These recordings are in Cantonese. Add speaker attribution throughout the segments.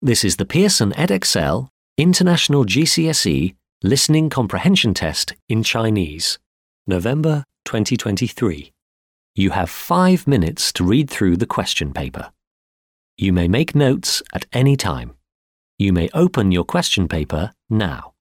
Speaker 1: This is the Pearson Edexcel International GCSE Listening Comprehension Test in Chinese, November 2023. You have 5 minutes to read through the question paper. You may make notes at any time. You may open your question paper now.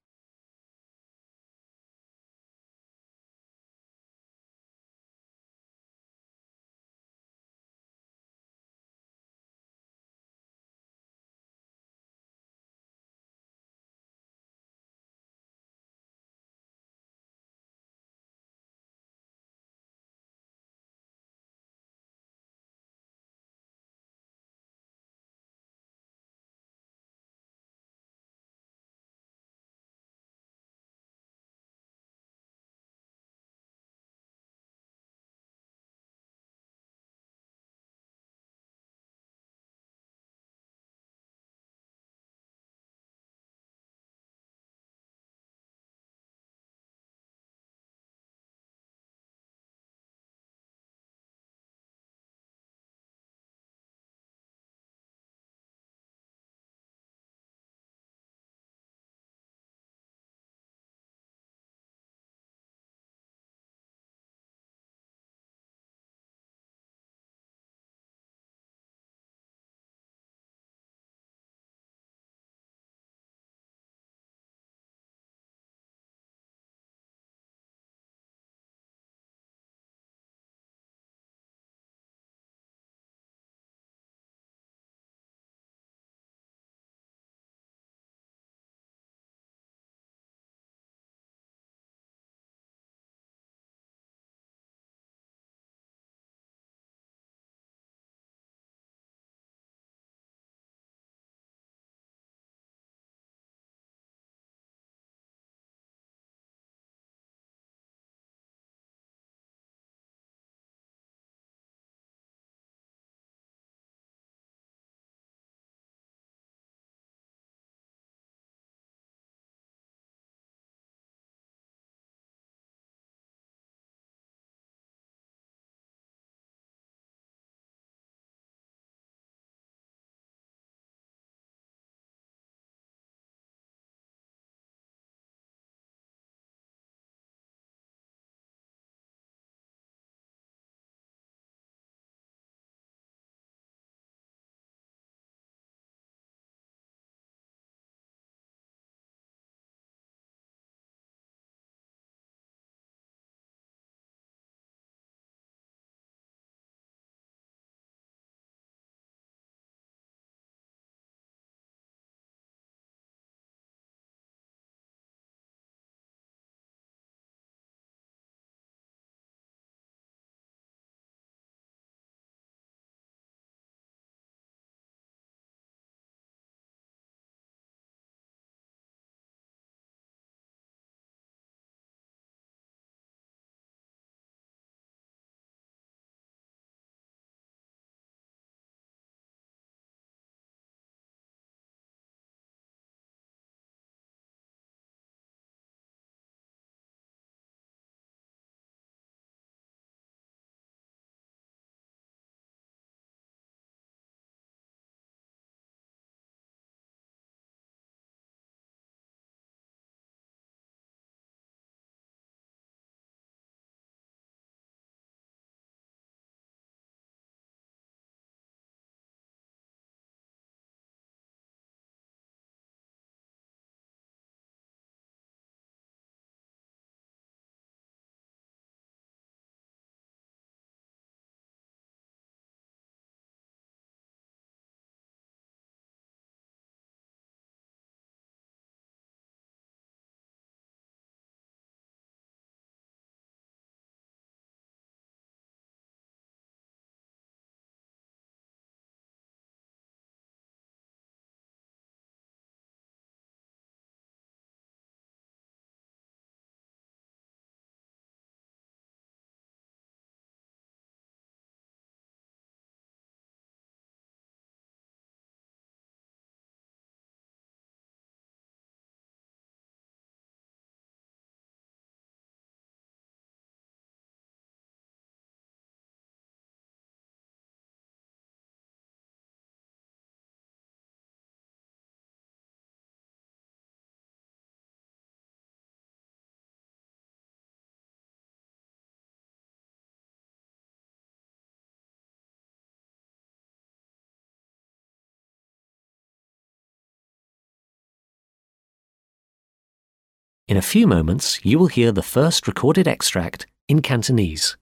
Speaker 1: In a few moments, you will hear the first recorded extract in Cantonese.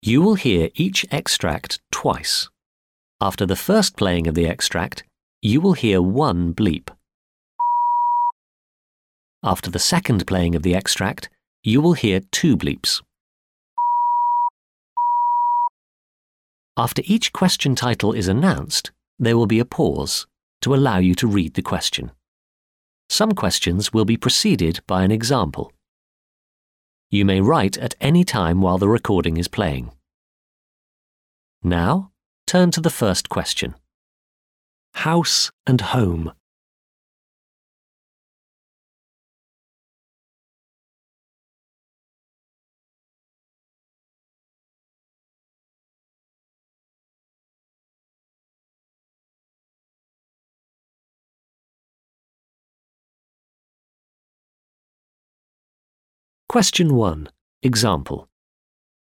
Speaker 1: You will hear each extract twice. After the first playing of the extract, you will hear one bleep. After the second playing of the extract, you will hear two bleeps. After each question title is announced, there will be a pause to allow you to read the question. Some questions will be preceded by an example. You may write at any time while the recording is playing. Now, turn to the first question. House and home. Question 1. Example.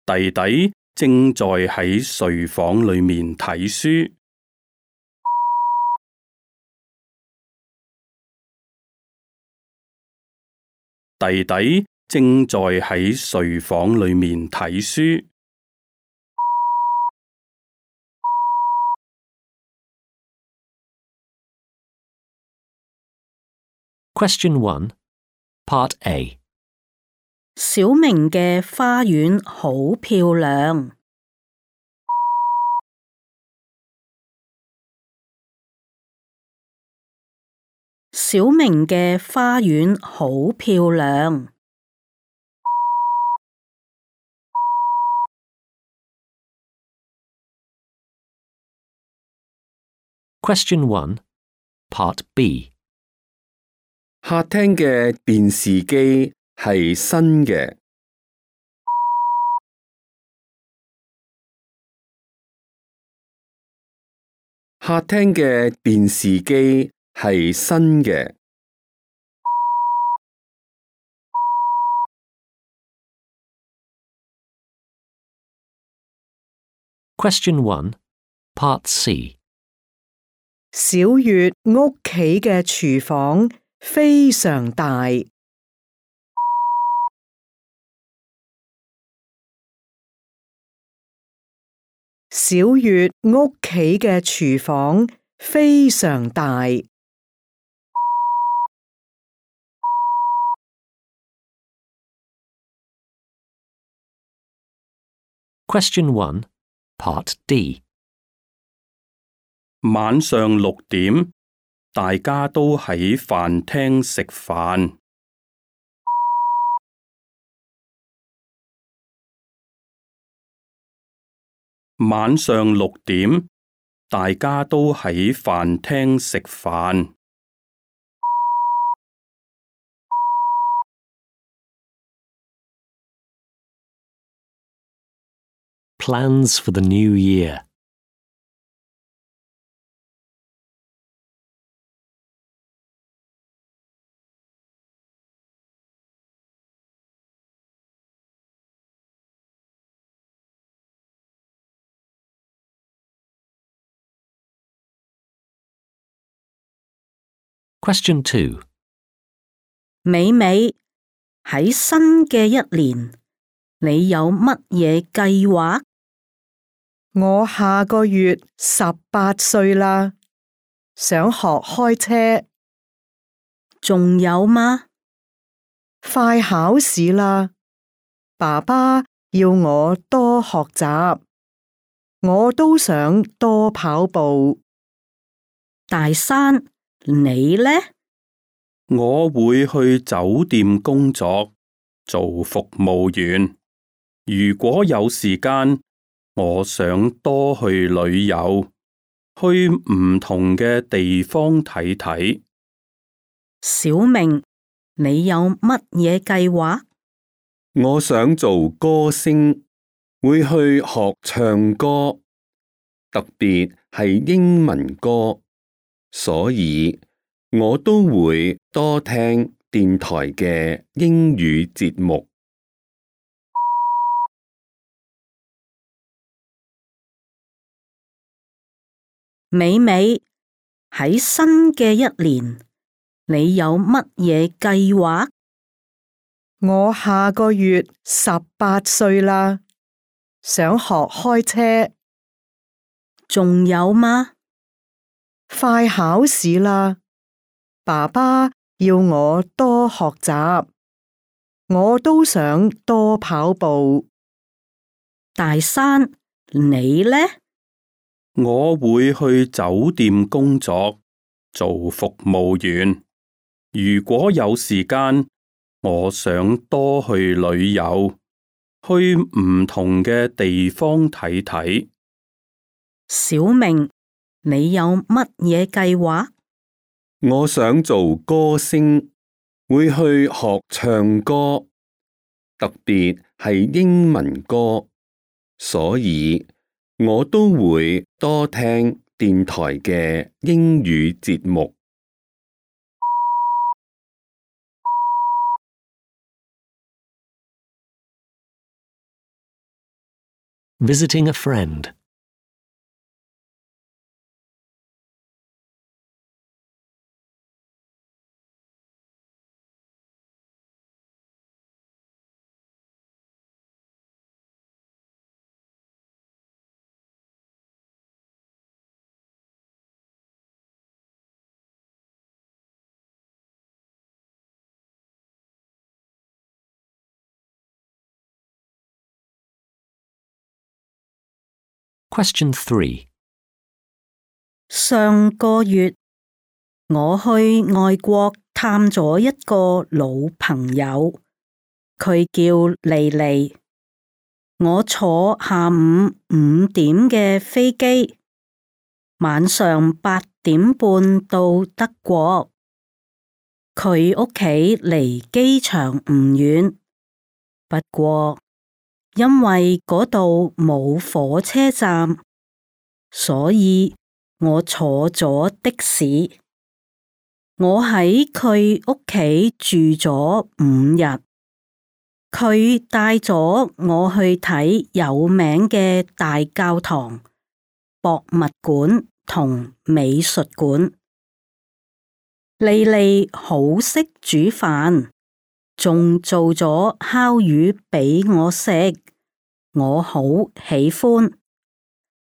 Speaker 2: 弟弟正在喺睡房裏面睇書。弟弟正在喺睡房裏面睇書。
Speaker 1: Question 1. Part A.
Speaker 3: 小明嘅花園好漂亮。小明嘅花園好漂亮。
Speaker 1: Question 1. Part B.
Speaker 4: 客廳嘅電視機係新嘅。客廳嘅電視機係新嘅。
Speaker 1: Question 1. Part C.
Speaker 5: 小月屋企嘅廚房非常大。小月屋企嘅廚房非常大。
Speaker 1: Question 1. Part D.
Speaker 2: 晚上6點，大家都喺飯廳食飯。晚上6點，大家都喺飯廳食飯。
Speaker 1: Plans for the new year. Question 2.
Speaker 3: 美美，喺新嘅一年，你有乜嘢計劃？
Speaker 5: 我下個月18歲啦，想學開車。
Speaker 3: 仲有嗎？
Speaker 5: 快考試啦，爸爸要我多學習，我都想多跑步。
Speaker 3: 大山，你呢？
Speaker 2: 我會去酒店工作，做服務員。如果有時間，我想多去旅遊，去唔同嘅地方睇睇。
Speaker 3: 小明，你有乜嘢計劃？
Speaker 4: 我想做歌星，會去學唱歌，特別係英文歌，所以我都會多聽電台嘅英語節目。
Speaker 3: 美美，喺新嘅一年，你有乜嘢計劃？
Speaker 5: 我下個月18歲啦，想學開車。
Speaker 3: 仲有嗎？
Speaker 5: 快考試啦，爸爸要我多學習，我都想多跑步。
Speaker 3: 大山，你呢？
Speaker 2: 我會去酒店工作，做服務員。如果有時間，我想多去旅遊，去唔同嘅地方睇睇。
Speaker 3: 小明，你有乜嘢計劃？
Speaker 4: 我想做歌星，會去學唱歌，特別係英文歌，所以我都會多聽電台嘅英語節目。
Speaker 1: Visiting a friend. Question 3.
Speaker 3: 上個月我去外國探咗一個老朋友，佢叫莉莉。我坐下午5點嘅飛機，晚上8點半到德國。佢屋企離機場唔遠，不過因為嗰度冇火車站，所以我坐咗的士。我喺佢屋企住咗5日，佢帶咗我去睇有名嘅大教堂、博物館同美術館。莉莉好識煮飯，仲做咗烤魚俾我食，我好喜歡。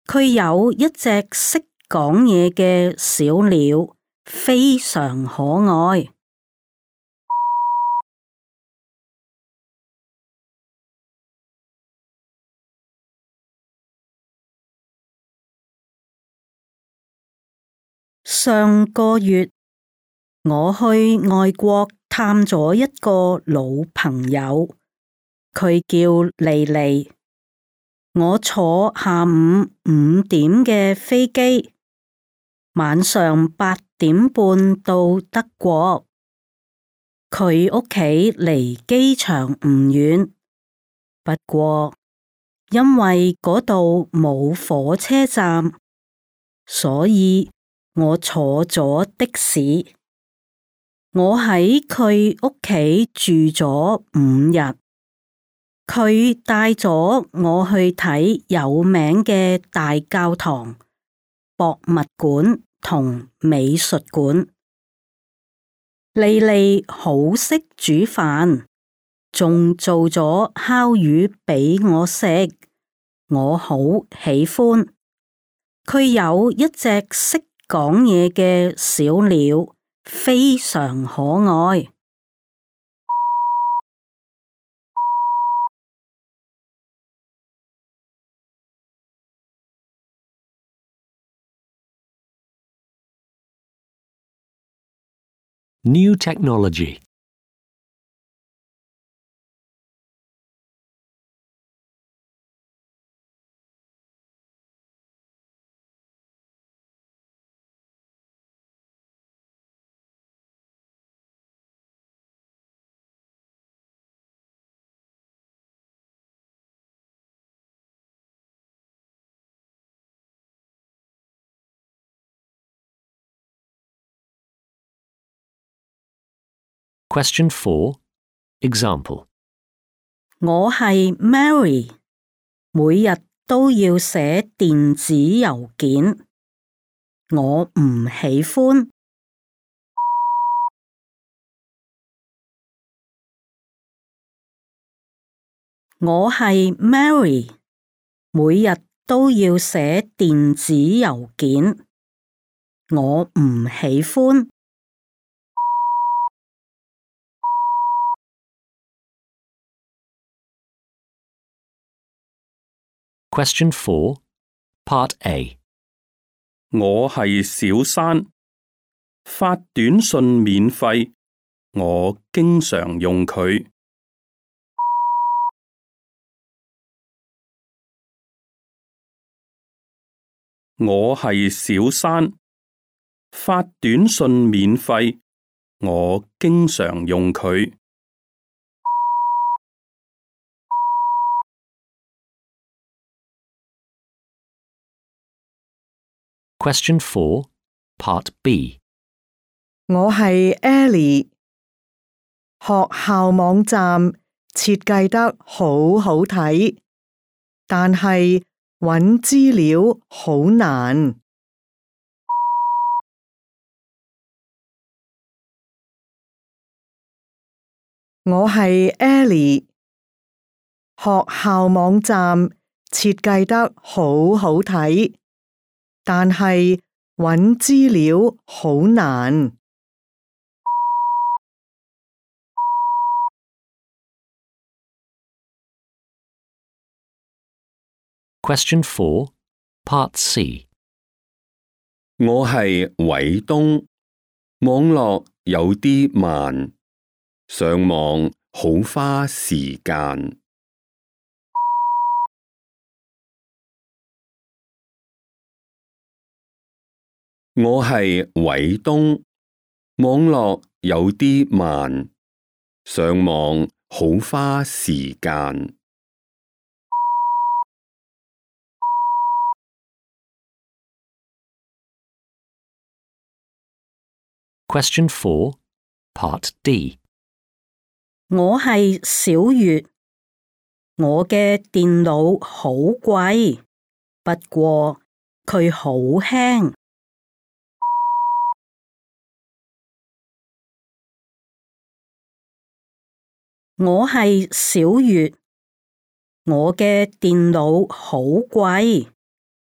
Speaker 3: 佢有一隻識講嘢嘅小鳥，非常可愛。上個月我去外國探咗一個老朋友，佢叫莉莉。我坐下午5點嘅飛機，晚上8點半到德國。佢屋企離機場唔遠，不過因為嗰度冇火車站，所以我坐咗的士。我喺佢屋企住咗5日，佢帶咗我去睇有名嘅大教堂、博物館同美術館。莉莉好識煮飯，仲做咗烤魚俾我食，我好喜歡。佢有一隻識講嘢嘅小鳥，非常可愛。
Speaker 1: New technology. Question 4. Example.
Speaker 3: 我係 Mary，每日都要寫電子郵件，我唔喜歡。我係 Mary，每日都要寫電子郵件，我唔喜歡。
Speaker 1: Question 4, Part A.
Speaker 2: 我係小山，發短信免費，我經常用佢。我係小山，發短信免費，我經常用佢。
Speaker 1: Question 4, Part B.
Speaker 5: 我係 Ellie， 學校網站設計得好好睇，但係揾資料好難。我係 Ellie， 學校網站設計得好好睇，但係揾資料好難。
Speaker 1: Question 4, Part C.
Speaker 4: 我係偉東，網絡有啲慢，上網好花時間。我係偉東，網絡有啲慢，上網好花時間。
Speaker 1: Question 4, Part D.
Speaker 3: 我係小月，我嘅電腦好貴，不過佢好輕。我係小月，我嘅電腦好貴，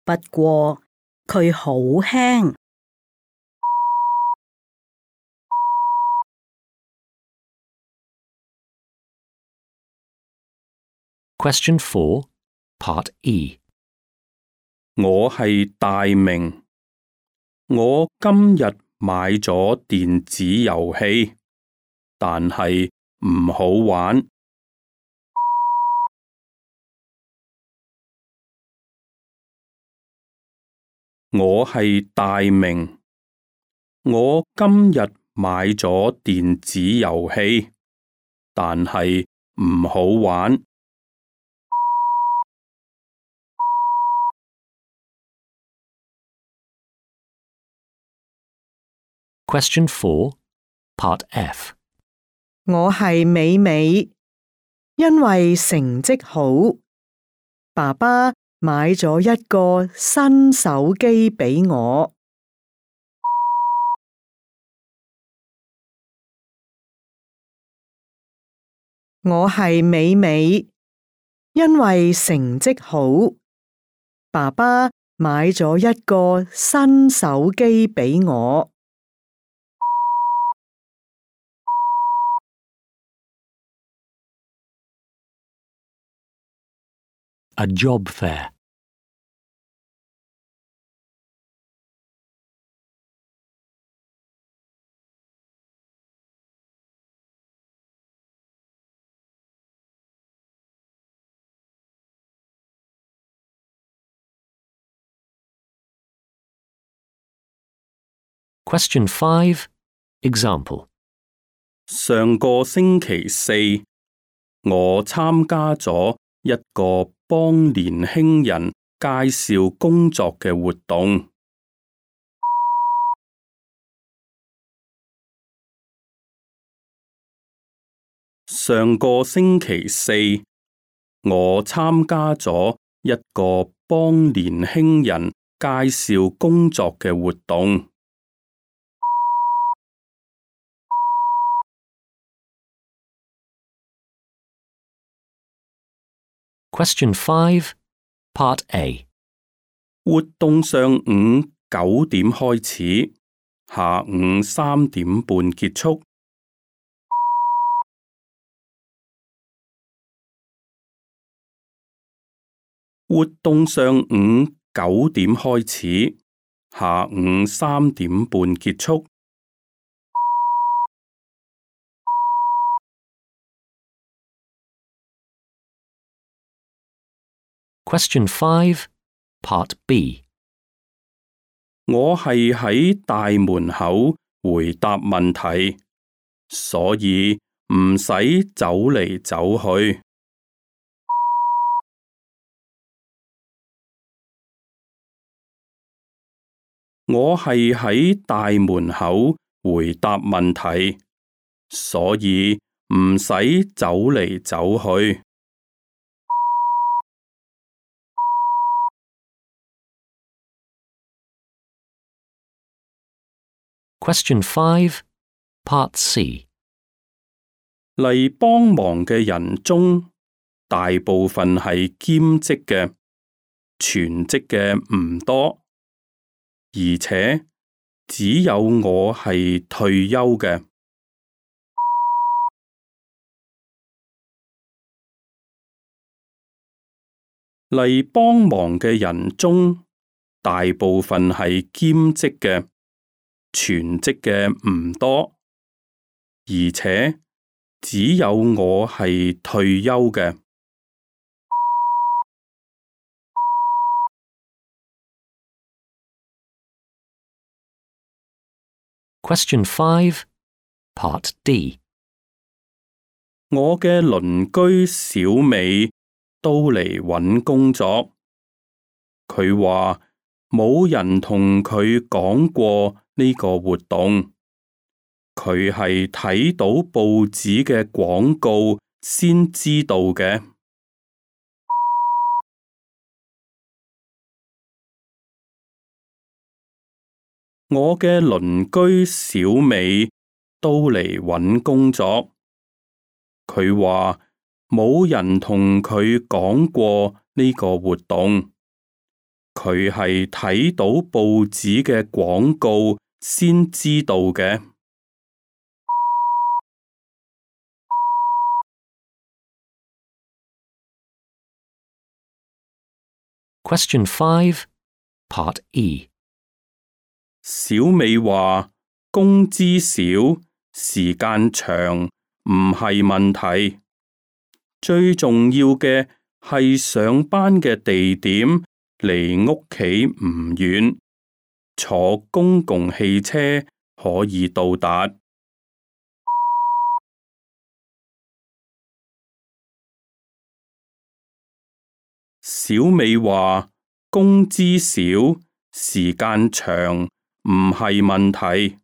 Speaker 3: 不過佢好輕。
Speaker 1: Question 4, Part E.
Speaker 2: 我係大明，我今日買咗電子遊戲，但係唔好玩。我係大明，我今日買咗電子遊戲，但係唔好玩。
Speaker 1: Question 4, Part F.
Speaker 5: 我係美美，因為成績好，爸爸買咗一個新手機俾我。我係美美，因為成績好，爸爸買咗一個新手機俾我。
Speaker 1: A job fair. Question 5, Example.
Speaker 2: 上個星期四，我參加咗一個幫年輕人介紹工作嘅活動。上個星期四，我參加咗一個幫年輕人介紹工作嘅活動。
Speaker 1: Question 5, Part A.
Speaker 2: 活動上午9點開始，下午3點半結束。活動上午9點開始，下午3點半結束。
Speaker 1: Question 5, Part B.
Speaker 2: 我係喺大門口回答問題，所以唔使走嚟走去。我係喺大門口回答問題，所以唔使走嚟走去。
Speaker 1: Question 5, Part C.
Speaker 2: 嚟幫忙嘅人中，大部分係兼職嘅，全職嘅唔多，而且只有我係退休嘅。嚟幫忙嘅人中，大部分係兼職嘅，全職嘅唔多，而且只有我係退休嘅。
Speaker 1: Question 5, Part D.
Speaker 2: 我嘅鄰居小美都嚟搵工作，佢話冇人同佢講過呢個活動，佢係睇到報紙嘅廣告先知道嘅。我嘅鄰居小美都嚟搵工作，佢話冇人同佢講過呢個活動，佢係睇到報紙嘅廣告先知道嘅。
Speaker 1: Question 5, Part E.
Speaker 2: 小美話工資少，時間長唔係問題，最重要嘅係上班嘅地點離屋企唔遠，坐公共汽車可以到達。小美話工資少，時間長唔係問題，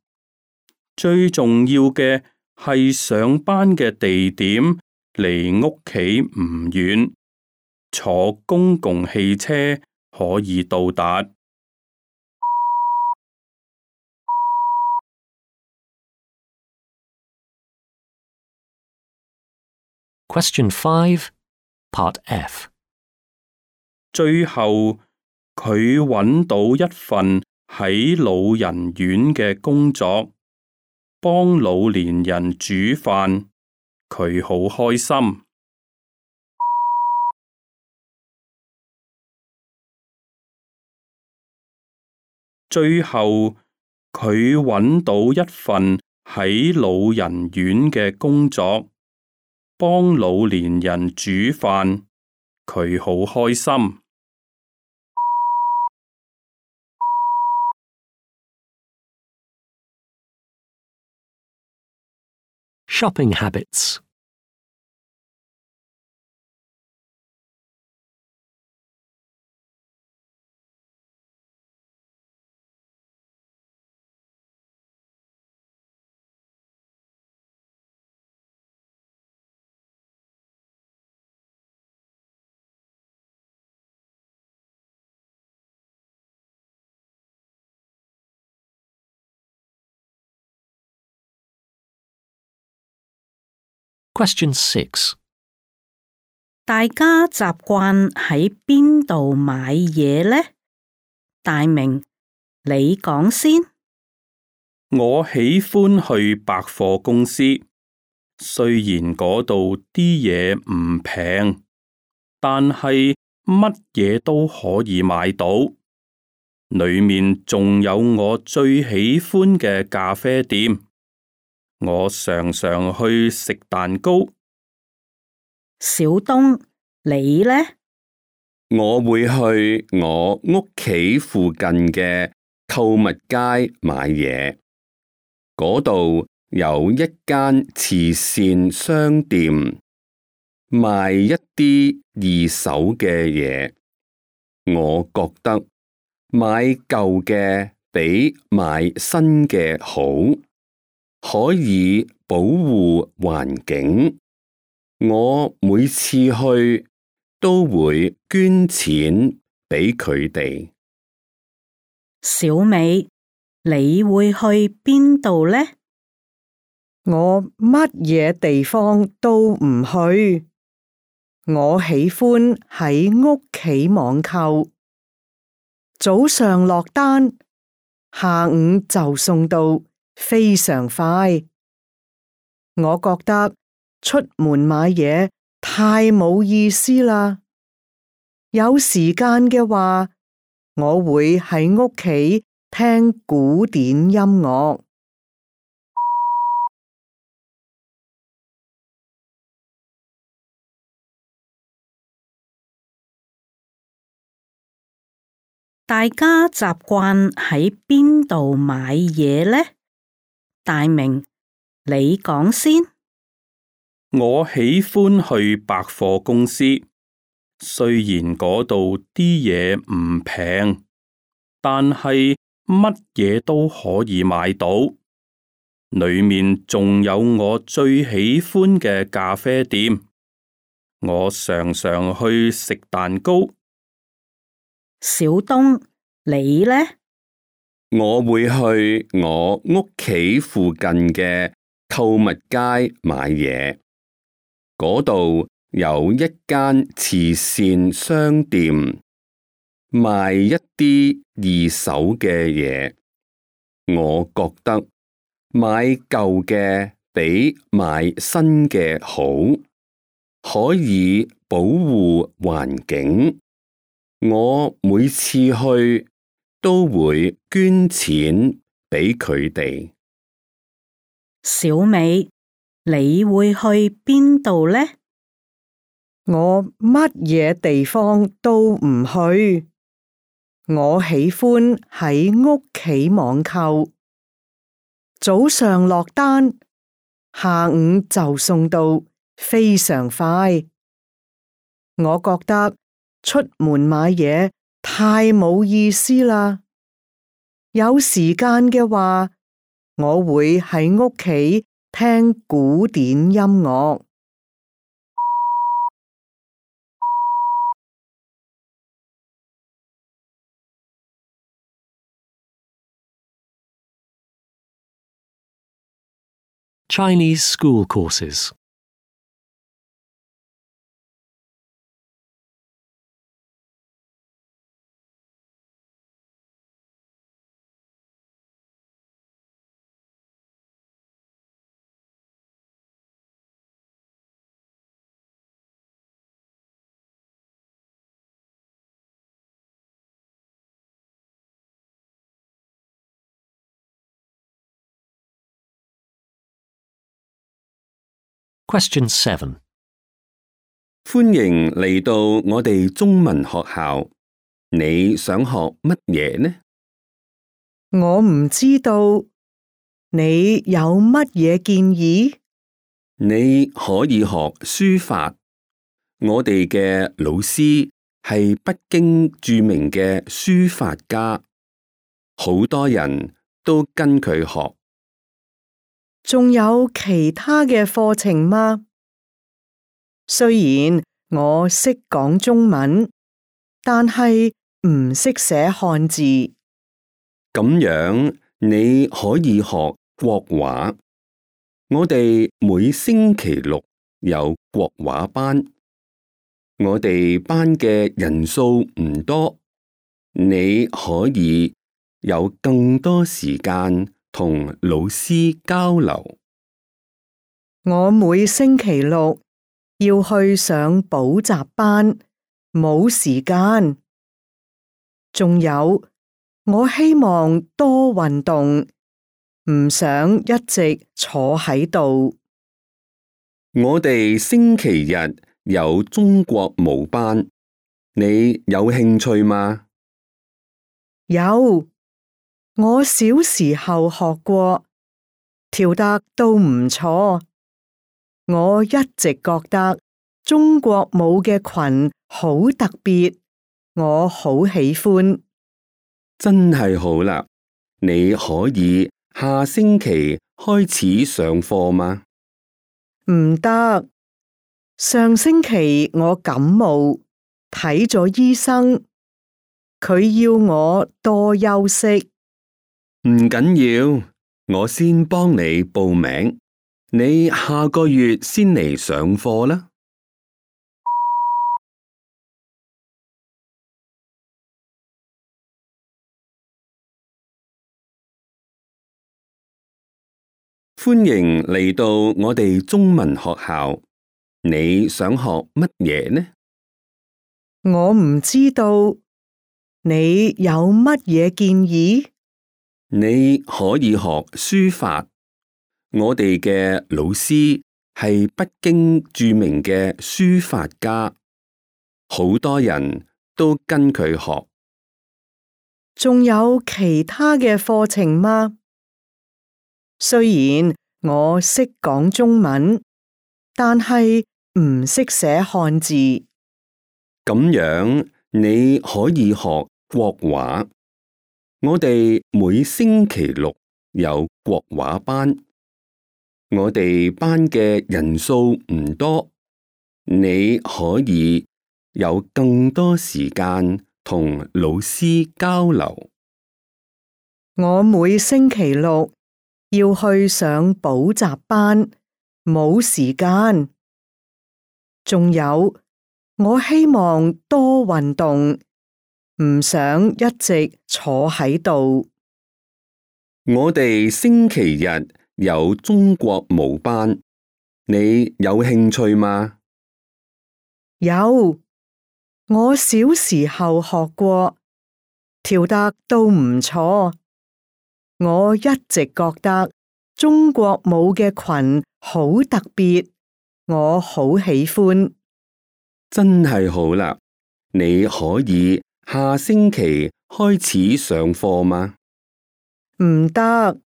Speaker 2: 最重要嘅係上班嘅地點離屋企唔遠，坐公共汽車可以到達。
Speaker 1: Question 5, Part F.
Speaker 2: 最後，佢搵到一份喺老人院嘅工作，幫老年人煮飯，佢好開心。最後，佢搵到一份喺老人院嘅工作，幫老年人煮飯，佢好開心。
Speaker 1: Shopping habits. Question 6.
Speaker 3: 大家習慣喺邊度買嘢呢？大明，你講先。
Speaker 2: 我喜歡去百貨公司，雖然嗰度啲嘢唔平，但係乜嘢都可以買到。裏面仲有我最喜歡嘅咖啡店，我常常去食蛋糕。
Speaker 3: 小東，你呢？
Speaker 4: 我會去我屋企附近嘅購物街買嘢，嗰度有一間慈善商店，賣一啲二手嘅嘢。我覺得買舊嘅比買新嘅好，可以保護環境。我每次去都會捐錢俾佢哋。
Speaker 3: 小美，你會去邊度呢？
Speaker 5: 我乜嘢地方都唔去。我喜歡喺屋企網購，早上落單，下午就送到，非常快。我覺得出門買嘢太冇意思啦。有時間嘅話，我會喺屋企聽古典音樂。
Speaker 3: 大家習慣喺邊度買嘢呢？大明，你講先。
Speaker 2: 我喜歡去百貨公司，雖然嗰度啲嘢唔平，但係乜嘢都可以買到。裏面仲有我最喜歡嘅咖啡店，我常常去食蛋糕。
Speaker 3: 小東，你呢？
Speaker 4: 我會去我屋企附近嘅購物街買嘢，嗰度有一間慈善商店，賣一啲二手嘅嘢。我覺得買舊嘅比買新嘅好，可以保護環境。我每次去都會捐錢俾佢哋。
Speaker 3: 小美，你會去邊度呢？
Speaker 5: 我乜嘢地方都唔去。我喜歡喺屋企網購，早上落單，下午就送到，非常快。我覺得出門買嘢太冇意思啦。有時間嘅話，我會喺屋企聽古典音樂。
Speaker 1: Chinese school courses. Question 7.
Speaker 4: 歡迎嚟到我哋中文學校，你想學乜嘢呢？
Speaker 5: 我唔知道，你有乜嘢建議？
Speaker 4: 你可以學書法，我哋嘅老師係北京著名嘅書法家，好多人都跟佢學。
Speaker 5: 仲有其他嘅課程嗎？雖然我識講中文，但係唔識寫漢字。
Speaker 4: 咁樣你可以學國畫，我哋每星期六有國畫班。我哋班嘅人數唔多，你可以有更多時間同老師交流。
Speaker 5: 我每星期六要去上補習班，冇時間。仲有，我希望多運動，唔想一直坐喺度。
Speaker 4: 我哋星期日有中國舞班，你有興趣嗎？
Speaker 5: 有，我小時候學過，跳得都唔錯。我一直覺得中國舞嘅裙好特別，我好喜歡。
Speaker 4: 真係好啦，你可以下星期開始上課嗎？
Speaker 5: 唔得，上星期我感冒，睇咗醫生，佢要我多休息。
Speaker 4: 唔緊要，我先幫你報名，你下個月先嚟上課啦。歡迎嚟到我哋中文學校，你想學乜嘢呢？
Speaker 5: 我唔知道，你有乜嘢建議？
Speaker 4: 你可以學書法，我哋嘅老師係北京著名嘅書法家，好多人都跟佢學。
Speaker 5: 仲有其他嘅課程嗎？雖然我識講中文，但係唔識寫漢字。
Speaker 4: 咁樣你可以學國畫。我哋每星期六有國畫班，我哋班嘅人數唔多，你可以有更多時間同老師交流。
Speaker 5: 我每星期六要去上補習班，冇時間。仲有，我希望多運動，唔想一直坐喺度。
Speaker 4: 我哋星期日有中國舞班，你有興趣嗎？
Speaker 5: 有，我小時候學過，跳得都唔錯。我一直覺得中國舞嘅裙好特別，我好喜歡。
Speaker 4: 真係好啦，你可以下星期開始上課嗎？
Speaker 5: 唔得，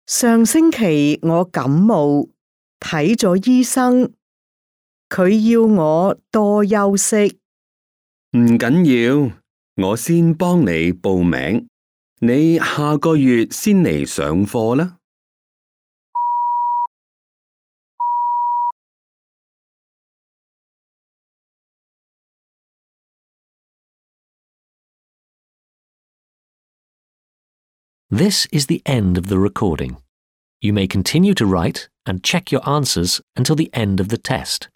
Speaker 5: 上星期我感冒，睇咗醫生，佢要我多休息。
Speaker 4: 唔緊要，我先幫你報名，你下個月先嚟上課啦。
Speaker 1: This is the end of the recording. You may continue to write and check your answers until the end of the test.